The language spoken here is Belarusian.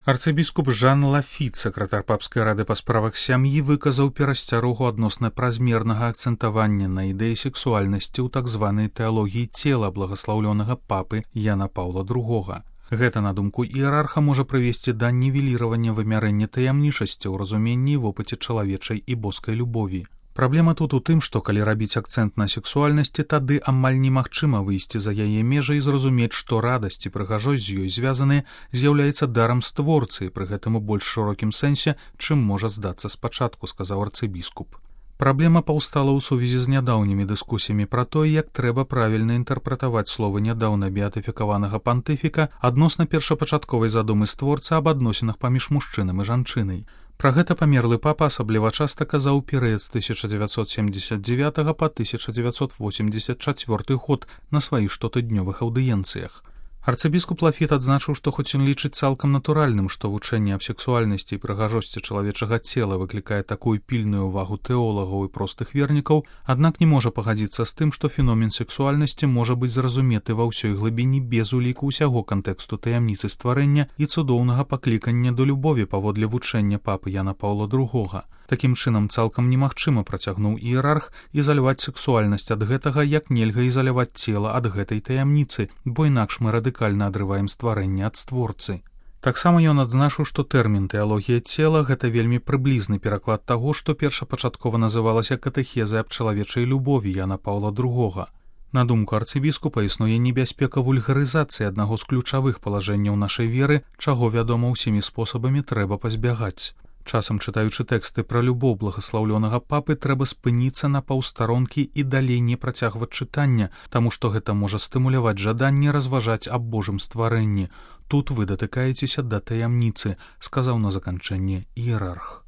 Арцыбіскуп Жан Лафіт, сакратар папскай рады па справах сям'і, выказаў перасцярогу адносна празмернага акцэнтавання на ідэі сексуальнасці ў так званай тэалогіі цела благаслаўлёнага папы Яна Паўла II. Гэта, на думку іерарха, можа прывесці да нівеліравання вымярэння таямнічасці ў разуменні і вопыце чалавечай і боскай любові. Праблема тут у тым, што калі рабіць акцэнт на сексуальнасці, тады амаль немагчыма выйсці за яе межы і зразумець, што радасць і прыгажосць з ёй звязаныя з'яўляецца дарам створцы, пры гэтым у больш шырокім сэнсе, чым можа здацца спачатку, сказаў арцыбіскуп. Праблема паўстала ў сувязі з нядаўнімі дыскусіямі пра тое, як трэба правільна інтэрпрэтаваць словы нядаўна беатыфікаванага пантыфіка адносна першапачатковай задумы створцы аб адносінах паміж мужчынам і жанчынай. Пра гэта памерлы папа асабліва часта казаў перыяд з 1979 па 1984 год на сваіх штотыднёвых аўдыенцыях. Арцыбіскуп Лафіт адзначыў, што хоць ён лічыць цалкам натуральным, што вучэнне аб сексуальнасці і прыгажосці чалавечага цела выклікае такую пільную ўвагу тэолагаў і простых вернікаў, аднак не можа пагадзіцца з тым, што феномен сексуальнасці можа быць зразуметы ва ўсёй глыбіні без уліку ўсяго кантэксту таямніцы стварэння і цудоўнага паклікання да любові паводле вучэння папы Яна Паўла II. Такім чынам, цалкам немагчыма, працягнуў іерарх, ізаляваць сексуальнасць ад гэтага, як нельга ізаляваць цела ад гэтай таямніцы, бо інакш мы радыкальна адрываем стварэнне ад створцы. Таксама ён адзначыў, што тэрмін тэалогія цела — гэта вельмі прыблізны пераклад таго, што першапачаткова называлася катэхезай аб чалавечай любові Яна Паўла II. На думку арцыбіскупа, існуе небяспека вульгарызацыі аднаго з ключавых палажэнняў нашай веры, чаго, вядома, усімі спосабамі трэба пазбягаць. Часам, чытаючы тэксты пра любоў благаслаўлёнага папы, трэба спыніцца на паўстаронкі і далей не працягваць чытання, таму што гэта можа стымуляваць жаданне разважаць аб Божым стварэнні. Тут вы датыкаецеся да таямніцы, сказаў на заканчэнне іерарх.